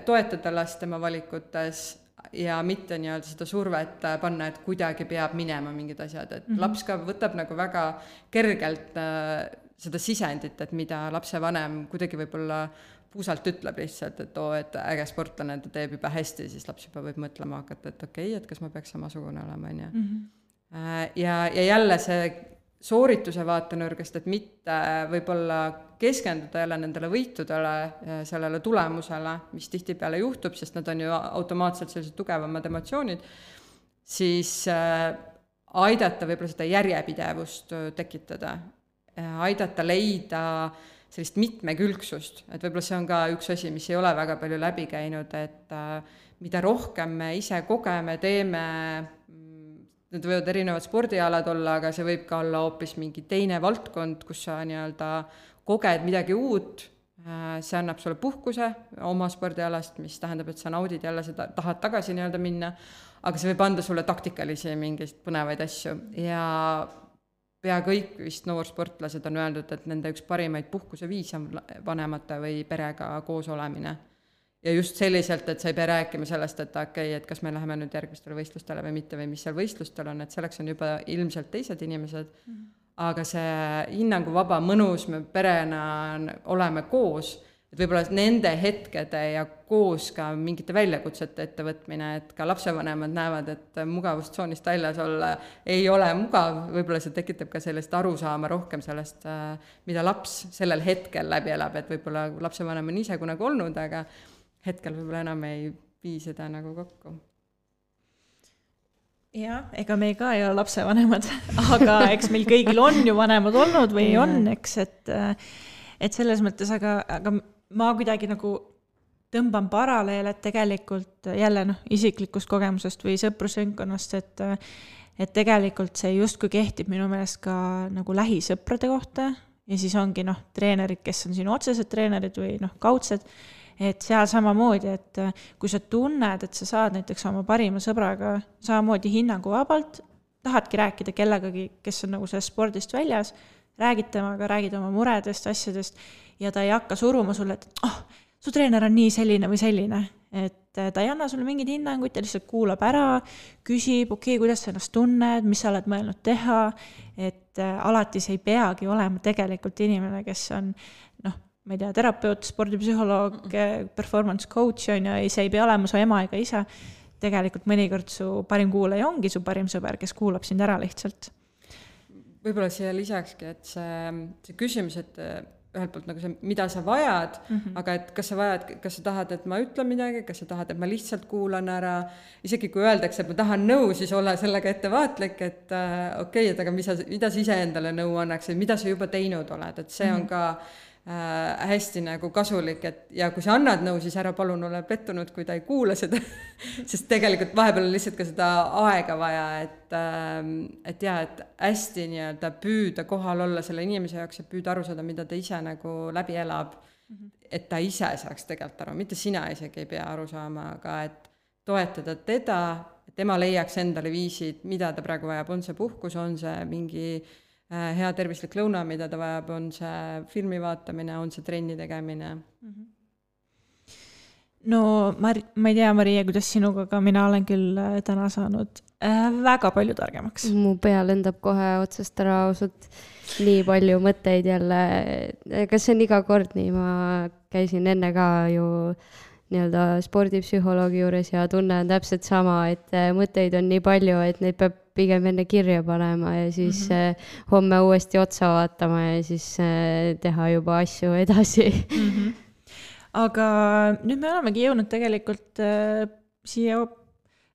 toetada last tema valikutes ja mitte nii-öelda seda survet panna, et kuidagi peab minema mingid asjad. Et laps ka võtab nagu väga kergelt seda sisendit, et mida lapsevanem kuidagi võib-olla puusalt ütleb lihtsalt, et äge sportlane, ta teeb juba hästi, siis laps juba võib mõtlema hakata, et okei, et kas ma peaks samasugune olema. Ja jälle see soorituse vaatenurgast, et mitte võib-olla keskenduda jälle nendele võitudele, sellele tulemusele, mis tihtipeale juhtub, sest nad on ju automaatselt sellised tugevamad emotsioonid, siis aidata võib-olla seda järjepidevust tekitada, aidata leida sellist mitmekülgsust, et võib-olla see on ka üks asi, mis ei ole väga palju läbi käinud, et mida rohkem me ise kogeme, teeme, need võivad erinevad spordialad olla, aga see võib ka olla hoopis mingi teine valdkond, kus sa nii-öelda koged midagi uut, see annab sulle puhkuse oma spordialast, mis tähendab, et sa naudid jälle seda, tahad tagasi nii-öelda minna, aga see võib anda sulle taktikalisi mingeid põnevaid asju ja pea kõik vist noorsportlased on öeldud, et nende üks parimaid puhkuse viis on vanemate või perega koos olemine. Ja just selliselt, et sa ei pea rääkima sellest, et okei, et kas me läheme nüüd järgmistele võistlustele või mitte või mis seal võistlustel on, et selleks on juba ilmselt teised inimesed, aga see hinnanguvaba mõnus, me perena oleme koos, et võib-olla nende hetkede ja koos ka mingite väljakutsete ettevõtmine, et ka lapsevanemad näevad, et mugavustsoonist väljas olla ei ole mugav, võib-olla see tekitab ka sellist arusaama rohkem sellest, mida laps sellel hetkel läbi elab, et võib-olla lapsevanem on ise kunagi olnud, aga hetkel võib-olla enam ei vii seda nagu kokku. Jah, ega me ka ei ole lapsevanemad, aga eks meil kõigil on ju vanemad olnud või on, eks, et selles mõttes, aga ma kuidagi nagu tõmban paraleel, et tegelikult jälle isiklikust kogemusest või sõprusringkonnast, et tegelikult see justkui kehtib minu meelest ka nagu lähisõprade kohta ja siis ongi treenerid, kes on sinu otsesed treenerid või kaudsed, et seal samamoodi, et kui sa tunned, et sa saad näiteks oma parima sõbraga samamoodi hinnanguvabalt, tahadki rääkida kellegagi, kes on nagu sellest spordist väljas, räägid temaga, räägid oma muredest, asjadest ja ta ei hakka suruma sulle, et su treener on nii selline või selline, et ta ei anna sulle mingeid hinnanguid, ta lihtsalt kuulab ära, küsib, kuidas sa ennast tunned, mis sa oled mõelnud teha, et alati see ei peagi olema tegelikult inimene, kes on ma ei tea, terapeut, spordipsühholoog, performance coach ja see ei pea olema su ema ega isa. Tegelikult mõnikord su parim kuulaja ongi su parim sõber, kes kuulab sind ära lihtsalt. Võib-olla siia lisakski, et see küsimus, et ühelt poolt nagu see, mida sa vajad, aga et kas sa tahad, et ma ütlen midagi, kas sa tahad, et ma lihtsalt kuulan ära, isegi kui öeldakse, et ma tahan nõu, siis ole sellega ettevaatlik, et okei, et aga mida sa ise endale nõu annaks, mida sa juba teinud oled, et see on ka hästi nagu kasulik, et ja kui sa annad nõu, siis ära palun ole pettunud, kui ta ei kuula seda, sest tegelikult vahepeal on lihtsalt ka seda aega vaja, et hästi nii-öelda püüda kohal olla selle inimese jaoks ja püüda aru saada, mida ta ise nagu läbi elab, et ta ise saaks tegelikult aru, mitte sina isegi ei pea aru saama, aga et toetada teda, et tema leiaks endale viisid, mida ta praegu vajab, on see puhkus, on see mingi hea tervislik lõuna, mida ta vajab, on see filmi vaatamine, on see trenni tegemine. No ma ei tea, Maria, kuidas sinuga, aga mina olen küll täna saanud väga palju targemaks. Mu pea lendab kohe otsast ära ausalt nii palju mõtteid jälle. Kas see on iga kord nii? Ma käisin enne ka ju nii-öelda spordipsühholoogi juures ja tunne on täpselt sama, et mõtteid on nii palju, et neid peab pigem enne kirja panema ja siis homme uuesti otsa vaatama ja siis teha juba asju edasi. Aga nüüd me olemegi jõudnud tegelikult siia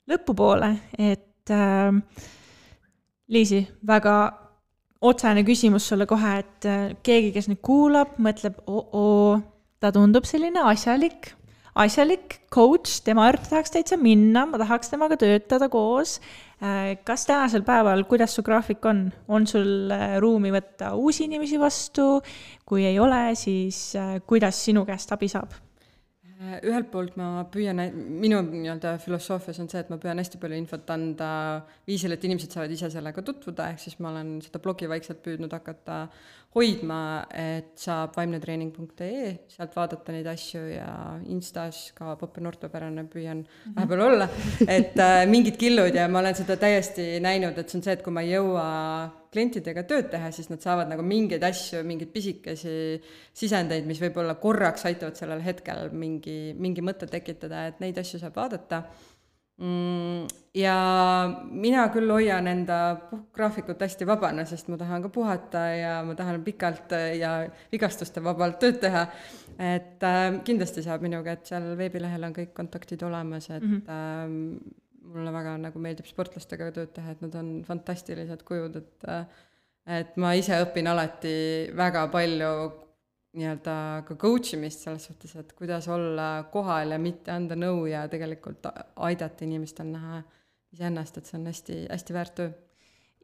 lõpupoole, et Liisi, väga otsene küsimus sulle kohe, et keegi, kes nüüd kuulab, mõtleb, ta tundub selline asjalik coach, tema juurde tahaks täitsa minna, ma tahaks temaga töötada koos. Kas tänasel päeval, kuidas su graafik on? On sul ruumi võtta uusi inimesi vastu? Kui ei ole, siis kuidas sinu käest abi saab? Ühelt poolt ma püüan, minu nii-öelda filosoofias on see, et ma püüan hästi palju infot anda viisil, et inimesed saavad ise sellega tutvuda, ehk siis ma olen seda blogi vaikselt püüdnud hakata hoidma, et saab vaimnetreening.ee, sealt vaadata neid asju ja Instas ka Poppen ortopärane püüan vahepeal olla, et mingid killud ja ma olen seda täiesti näinud, et see on see, et kui ma ei jõua klientidega tööd teha, siis nad saavad nagu mingeid asju, mingeid pisikesi sisendeid, mis võib-olla korraks aitavad sellel hetkel mingi mõtte tekitada, et neid asju saab vaadata. Ja mina küll hoian enda graafikut hästi vabana, sest ma tahan ka puhata ja ma tahan pikalt ja vigastuste vabalt tööd teha, et kindlasti saab minuga, et seal veebilehel on kõik kontaktid olemas, et mulle väga nagu meeldib sportlastega tööd teha, et nad on fantastilised kujud, et ma ise õpin alati väga palju nii-öelda ka coach imist selles suhtes, et kuidas olla kohal ja mitte anda nõu ja tegelikult aidata inimestel näha iseennast, et see on hästi, hästi väärt töö.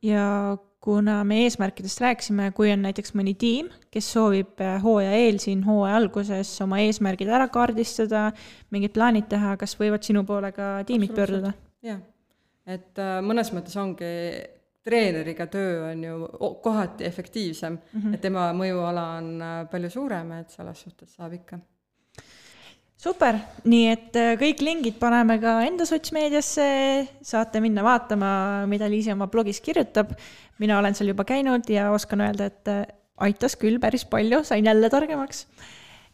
Ja kuna me eesmärkidest rääkisime, kui on näiteks mõni tiim, kes soovib hooaja eel siin hooaja alguses oma eesmärgid ära kaardistada, mingid plaanid teha, kas võivad sinu poole ka tiimid pöörduda? Jah, et mõnes mõttes ongi treeneriga töö on ju kohati efektiivsem, et tema mõjuala on palju suurem, et selles suhtes saab ikka. Super, nii et kõik lingid paneme ka enda sotsmeediasse, saate minna vaatama, mida Liisi oma blogis kirjutab. Mina olen seal juba käinud ja oskan öelda, et aitas küll päris palju, sain jälle targemaks.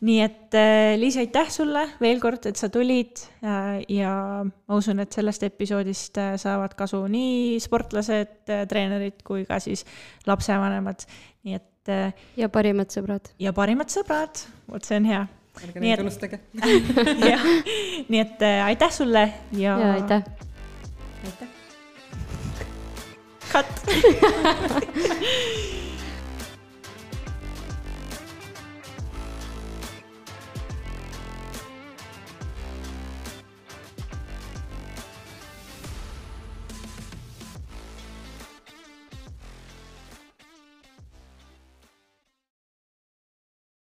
Nii et Liisi, aitäh sulle veel kord, et sa tulid ja ma usun, et sellest episoodist saavad kasu nii sportlased, treenerid kui ka siis lapsevanemad. Nii et, ja parimad sõbrad. Ja parimad sõbrad, vot see on hea. Ärge neid unustage. Nii et aitäh sulle ja aitäh. Aitäh. Cut.